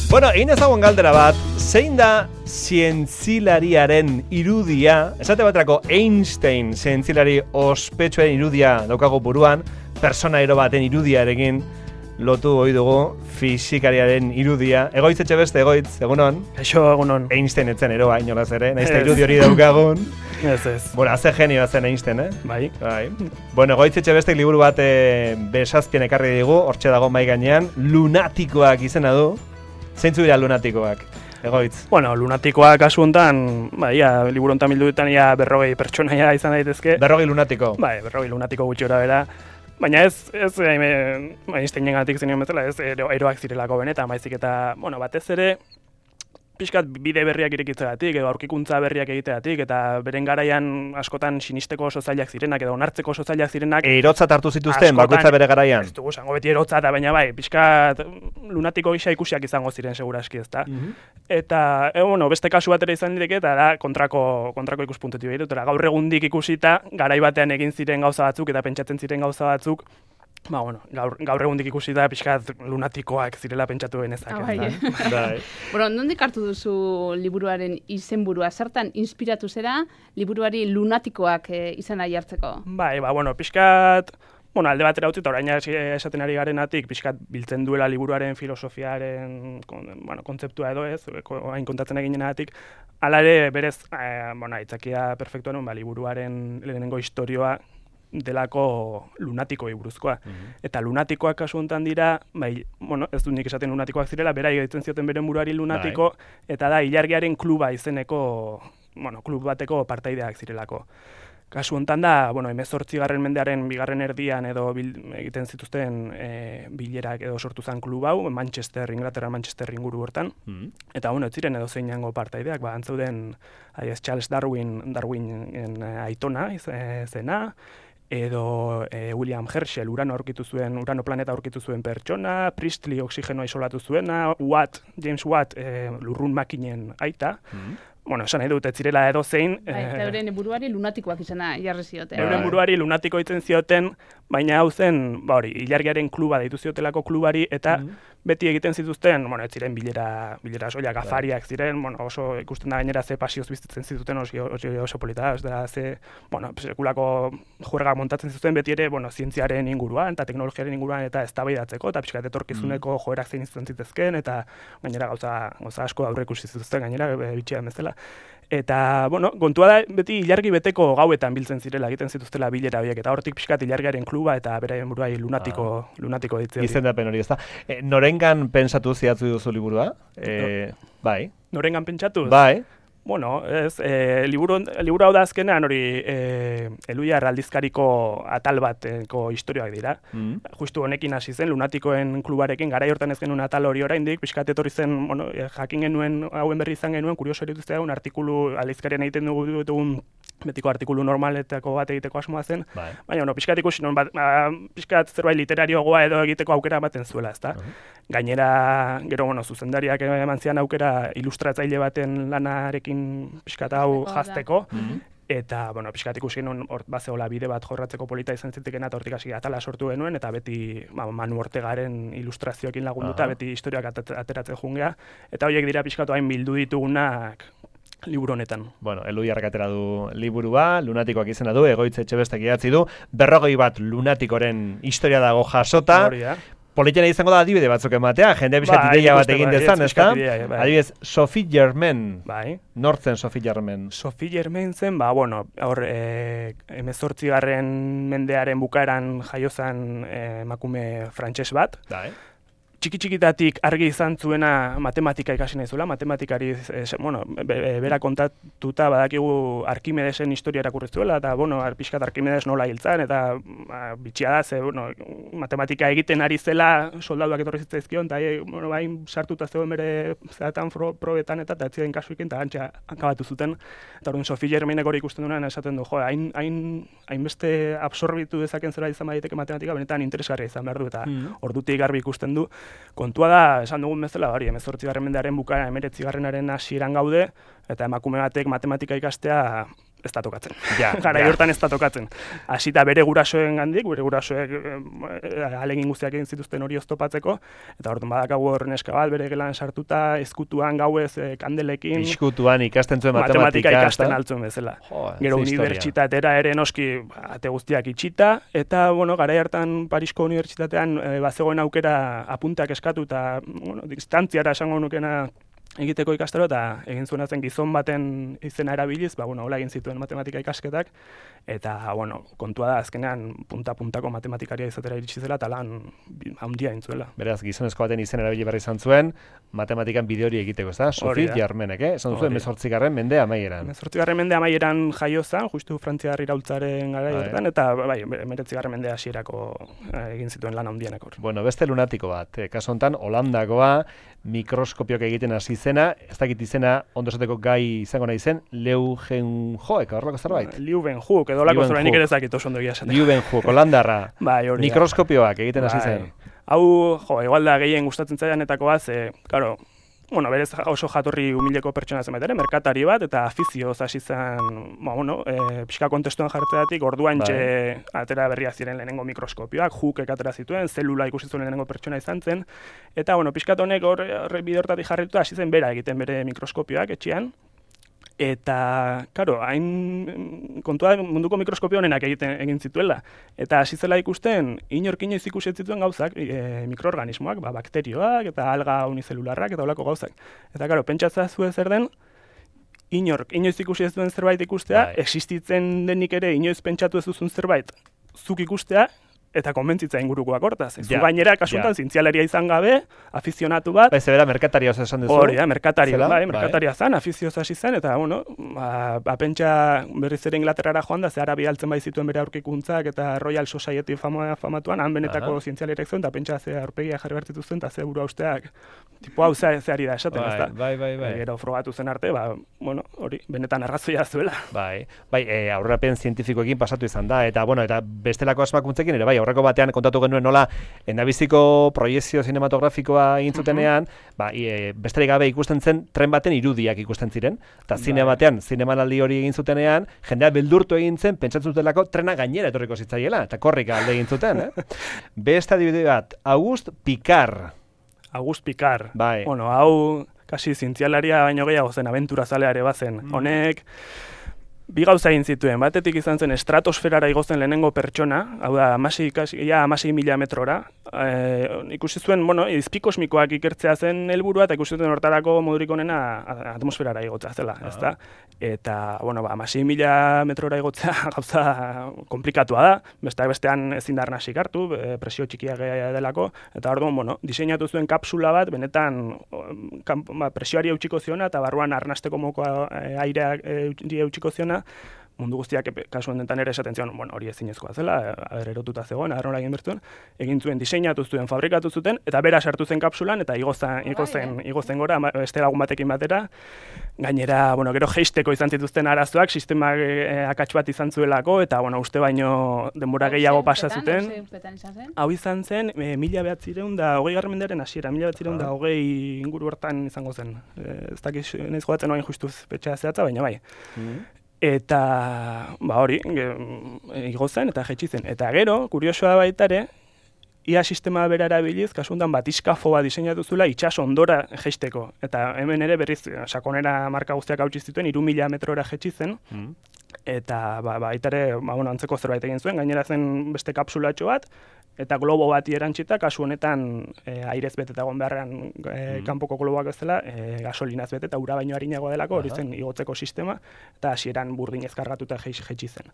Bueno, egin ezagun galdera bat, zein da zientzilariaren irudia, esate baterako Einstein zientzilari ospetsuaren irudia daukago buruan, personaero baten irudiarekin lotu ohi dugu fisikariaren irudia. Egoitz Etxebeste, egoitz, egunon? Kaixo, egunon. Einstein etzen eroa, inolaz ere, nahiz eta irudi hori daukagun. Ez. Bueno, haze genioa zen Einstein, Bai. Bueno, egoitz Etxebestek liburu bat besazpien ekarri digu, hortxe dago mai gainean, Lunatikoak izena du. Zeintzu dira lunatikoak, egoitz? Bueno, lunatikoak kasu honetan, liburu honetan bilduetan 40 pertsonaia izan daitezke. 40 lunatiko? Bai, 40 lunatiko gutxi gora bera. Baina ez Einsteinengatik zenioen bezala, ez eroak zirelako benetan, baizik eta, batez ere, pixkat bide berriak irekitzegatik, edo aurkikuntza berriak egitegatik, eta beren garaian askotan sinisteko oso zailak zirenak, edo onartzeko oso zailak zirenak. Erotzat hartu zituzten, bakoitza bere garaian? Ez dugu zango beti erotzat, baina bai, pixkat lunatiko gisa ikusiak izango ziren seguraski, ezta. Eta, beste kasu bat ere izan diteke, eta da kontrako ikuspuntutik behir dut. Gaur egundik ikusita, garai batean egin ziren gauza batzuk, eta pentsatzen ziren gauza batzuk, gaur egundik ikusita pixkat lunatikoak zirela pentsatu genezak. Nondik hartu duzu liburuaren izenburua? Zertan inspiratu zera liburuari lunatikoak izena jartzeko? Pixkat, alde batera utzi, eta orain esaten ari garenatik, pixkat biltzen duela liburuaren filosofiaren kontzeptua edo ez, hain kontatzen eginenatik, hala ere berez, aitzakia perfektuan, liburuaren lehenengo istorioa delako lunatikoi buruzkoa. Eta lunatikoak kasu honetan dira, ez dut nik esaten lunatikoak zirela, bera egiten zioten beren buruari lunatiko, eta da ilargiaren kluba izeneko, klub bateko partaideak zirelako. Kasu honetan da, 18. mendearen bigarren erdian edo egiten zituzten bilerak edo sortu zen klub hau, Inglaterra Manchester inguru hortan. Eta ez ziren edo zeinango partaideak, antzeuden Charles Darwinen aitona zena, edo William Herschel urano planeta aurkitu zuen pertsona, Priestley oxigenoa isolatu zuena, James Watt lurrun makinen aita. Esan nahi dut, ez zirela edo zein. Eta euren buruari lunatikoak izena jarri zioten. Euren buruari lunatiko itzen zioten, baina hau zen, ilargiaren kluba deitu ziotelako klubari, eta beti egiten zituzten, ez ziren bilera soilak, afariak ziren, oso ikusten da gainera ze pasioz biztitzen zituzten oso polita, sekulako juergak montatzen zituzten beti ere, zientziaren inguruan, eta teknologiaren inguruan, eta eztabaidatzeko, eta pixkat etorkizuneko joerak zein izan zitezken, eta gainera gauza asko aurreikusi zituzten, gainera bitxian bezala. Eta, kontua da, beti ilargi beteko gauetan biltzen zirela, egiten zituztela bilera horiek, eta hortik pixkat ilargiaren kluba eta beraien buruai lunatiko ditzen. Izendapen hori, ezta. Norengan pentsatu zidatzu duzu liburua? Bai. Norengan pentsatu? Bai. Liburu hau da azkenean hori Eluiar aldizkariko atal bateko historioak dira. Justu honekin hasi zen, lunatikoen klubarekin, garai hortan ez genuen atal hori oraindik, pixkat etorri zen, jakin genuen, hauen berri izan genuen, kurioso erituzte daun, artikulu aldizkarian egiten dugun betiko artikulu normaletako bat egiteko asmoa zen, baina pixkat ikusi non, pixkat zerbait literarioagoa edo egiteko aukera ematen zuela, ezta? Gainera, gero, zuzendariak eman zian aukera ilustratzaile baten lanarekin pixkat hau jazteko, eta, pixkat ikusi genuen bazeola bide bat jorratzeko polita izan zitekena, eta hortik hasi atala sortu genuen, eta beti Manu Ortegaren ilustrazioekin lagunduta, beti historiak ateratzen jungea, eta horiek dira pixkatu hain bildu ditugunak liburu honetan. Eluiarrak atera du liburua, lunatikoak izena du, Egoitz Etxebestek idatzi du, 40 lunatikoren historia dago jasota. Politena izango da adibide batzuk ematea, jendea pixkat ideia bat egin dezan, ezta? Adibidez, Sophie Germain. Nortzen Sophie Germain? Sophie Germain zen, 18. mendearen bukaeran jaiozan emakume frantses bat. Txiki-txikitatik argi izan zuena matematika ikasi nahi zuela, matematikari, bera kontatuta badakigu Arkimedesen historia irakurri zuela, eta, pixkat Arkimedes nola hiltzan, eta bitxia da, matematika egiten ari zela soldaduak etorri zitzaizkion, eta bain sartuta zegoen bere zeratan probetan, eta ez ziren kasuekin, eta antxa hankabatu zuten, eta orduan Sophie Germainek hori ikusten duenan esaten du, hainbeste absorbitu dezaken zera izan baditeke matematika, benetan interesgarria izan behar du, eta ordutik garbi ikusten du. Kontua da, esan dugun bezala, 18. mendearen bukaera 19. hasieran gaude, eta emakume batek matematika ikastea ez da tokatzen. Ja, Garai hortan ez da tokatzen. Hasita bere gurasoen gandik, bere gurasoek ahalegin guztiak egin zituzten hori oztopatzeko, eta orduan badakagu hor neska bat bere gelan sartuta, ezkutuan gauez kandelekin. Iskutuan ikasten zuen matematika ikasten altzuen bezala. Gero unibertsitatera ere noski ate guztiak itxita, eta garai hartan Parisko unibertsitatean bazegoen aukera apuntak eskatu eta distantziara esango nukena egiteko ikastaro, eta egin zuena zen gizon baten izena erabiliz, hola egin zituen matematika ikasketak, eta, kontua da, azkenean punta-puntako matematikaria izatera iritsi zela, eta lan handia egin zuela. Beraz, gizonezko baten izena erabili berri izan zuen, matematikan bide hori egiteko, ez da? Sofit Jarmenek, esan zuen 18. mende amaieran. 18. mende amaieran jaio zen, justu Frantziar iraultzaren gara hortan, eta 19. mende hasierako egin zituen lan handienak hor. Bueno, beste lunatiko bat, kasu hontan Holandakoa, mikroskopioak egiten hasi zena, ez dakit izena ondo esateko gai izango nahi zen, Leeuwenhoek, horrelako zerbait? Leeuwenhoek, edo lako zerbait nik ere ez dakit oso ondo egia esaten. Leeuwenhoek, Holandarra, mikroskopioak egiten hasi zen. Hau, igual da gehien gustatzen zaidanetako bat, claro, berez oso jatorri humileko pertsona zen ere, merkatari bat, eta afizioz hasi zen, pixka kontestuan jartzeatik, orduantxe atera berria ziren lehenengo mikroskopioak, Hookek atera zituen, zelula ikusi zuen lehenengo pertsona izan zen, eta, pixkat honek bide hortatik jarrituta hasi zen bera egiten bere mikroskopioak etxean, eta, karo, hain kontua munduko mikroskopio honenak egin zituela. Eta hasi zela ikusten, inork inoiz ikusi zituen gauzak, mikroorganismoak, bakterioak eta alga unizelularrak eta olako gauzak. Eta, karo, pentsatza zu zer den, inork inoiz ikusi ez duen zerbait ikustea, existitzen denik ere inoiz pentsatu ez duzun zerbait, zuk ikustea, eta konbentzitza ingurukoak hortaz. Zu gainera, kasuntan, zientzialaria izan gabe, afizionatu bat. Zebera, merkataria oso esan duzu. Hori da, merkataria zan, afizioz hasi zen, eta, pentsa berriz ere Inglaterrara joan da, zehara bialtzen bai zituen bere aurkikuntzak, eta Royal Society famatuan, han benetako zientzialariak zuen, eta pentsa ze aurpegia jarri bertitu zen, eta ze burua usteak, tipo hau zeari da esaten, ez da. Bai. Gero frogatu zen arte, hori, benetan arrazoia zuela. Bai, aurrerapen zientifikoekin pasatu izan da, eta bestelako asmakuntzekin ere, aurreko batean kontatu genuen nola endabiziko proiezio sinematografikoa egin zutenean, besterik gabe ikusten zen tren baten irudiak ikusten ziren, eta zine batean, zinemanaldi hori egin zutenean, jendea beldurtu egin zen, pentsatzen zutelako trena gainera etorriko zitzaiela, eta korrika alde egin zuten, Beste adibide bat, Auguste Piccard. Bai. Hau, kasi zientzialaria baino gehiago zen, abentura zaleare bazen. Honek, bi gauza egin zituen, batetik izan zen estratosferara igozen lehenengo pertsona, hau da, 16.000 metrora, ikusi zuen, izpikosmikoak ikertzea zen helburua, eta ikusi zuen hortarako modurik onena atmosferara igotzea zela, ezta? Eta, 16.000 metrora igotzea gauza komplikatua da, bestean ezin da arnasik hartu, presio txikiak delako, eta orduan, diseinatu zuen kapsula bat, benetan presioari eutxiko ziona, eta barruan arnasteko mokoa aireak eutxiko ziona, mundu guztiak kasu honetan ere esaten zion, hori ezinezkoa zela, erotuta zegoen, arrola egin bertuen, egin zuen diseinatu zuen, fabrikatu zuten, eta bera sartu zen kapsulan, eta igo zen gora, beste lagun batekin batera, gainera, gero jeisteko izan zituzten arazoak, sistemak akats bat izan zuelako, eta, uste baino denbora gehiago pasa zuten. Hau izan zen, 1920 mendearen hasiera, 1920 inguru hortan izango zen. Ez dakiz, nahiz jodatzen oain justuz petxea zehatza, baina bai. Eta, hori, igo zen eta jetxi zen. Eta gero, kuriosoa baita ere, ia sistema bera erabiliz, kasuntan batiskafo bat diseinatu zuela itxas ondora jeisteko. Eta hemen ere berriz, sakonera marka guztiak hautsi zituen, 3.000 metrora jetxi zen. Eta, baita ere, antzeko zerbait egin zuen, gainera zen beste kapsulatxo bat, eta globo bati erantzita, kasu honetan airez bete eta egon beharrean kanpoko globoak ez dela, gasolinaz bete eta ura baino harinagoa delako, hori zen igotzeko sistema, eta hasieran burdinez kargatuta jetxi zen.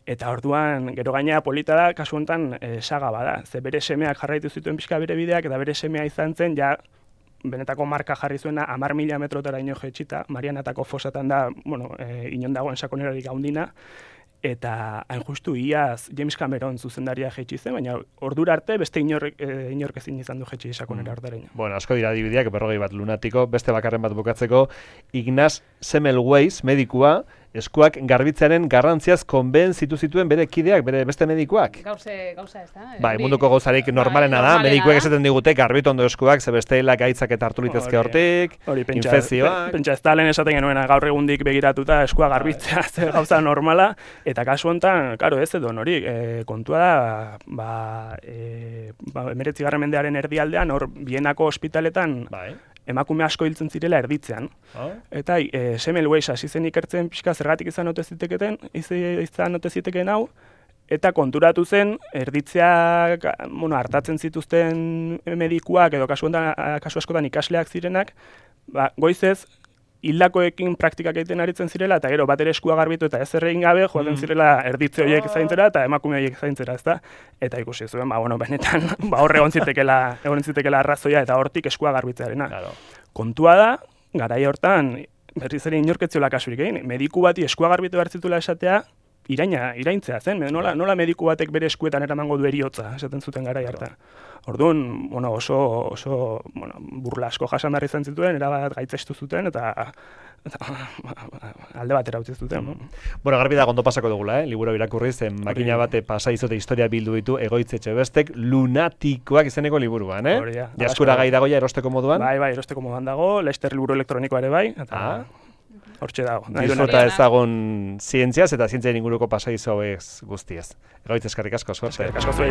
Eta orduan, gero gainera polita da, kasu honetan saga bada, ze bere semeak jarraitu zituen pixka bere bideak, eta bere semea izan zen, ja, benetako marka jarri zuena 10.000 metrotara ino jetxita, Marianatako fosatan da, inon dagoen sakonerarik gaundina, eta hain justu iaz James Cameron zuzendaria jetxi zen, baina ordura arte beste inork ezin izan du jetxi sakonera ordaraino. Asko dira adibideak, 40 bat lunatiko, beste bakarren bat bukatzeko, Ignaz Semmelweis medikua, eskuak garbitzearen garrantziaz konbentzitu zituen bere kideak, bere beste medikuak. Gauza ez da. Bai, munduko gauzarik normalena da, medikuek esaten digute garbitu ondo eskuak, ze bestela gaitzak eta hartu litezke hortik, infekzioak. Pentsa ez da lehen esaten genuena gaur egundik begiratuta eskua garbitzea ze gauza normala, eta kasu honetan, karo ez edo hori, kontua da, 19. mendearen erdialdean, hor Bienako ospitaletan, emakume asko hiltzen zirela erditzean. Eta Semmelweis hasi zen ikertzen pixka zergatik izan ote zitekeen hau, eta konturatu zen erditzeak hartatzen zituzten medikuak edo kasu askotan ikasleak zirenak, goizez hildakoekin praktikak egiten aritzen zirela, eta gero bat ere eskua garbitu eta ez egin gabe joaten zirela erditze horiek zaintzera eta emakume horiek zaintzera, ezta? Eta ikusi zuen, benetan, hor egon zitekeela arrazoia eta hortik eskua garbitzearena. Kontua da, garai hortan, berriz ere inorketziola kasurik egin, mediku bati eskua garbitu behar zituela esatea, iraintzea zen, nola mediku batek bere eskuetan eramango du heriotza, esaten zuten garai hartan. Orduan, oso burla asko jasan behar izan zituen, erabat gaitzestu zuten, eta alde batera utzi zuten. Garbi da ondo pasako dugula, liburu irakurriz, makina bate pasa izote historia bildu ditu Egoitz Etxebestek lunatikoak izeneko liburuan, Jaskura gai dagoia erosteko moduan? Bai, erosteko moduan dago, Laster liburu elektronikoa ere bai, eta hortxe dago. Disfruta ezagun zientziaz eta zientziaren inguruko pasaizo hauek guztiez. Egoitz eskerrik asko, suerte. Eskerrik asko zuei.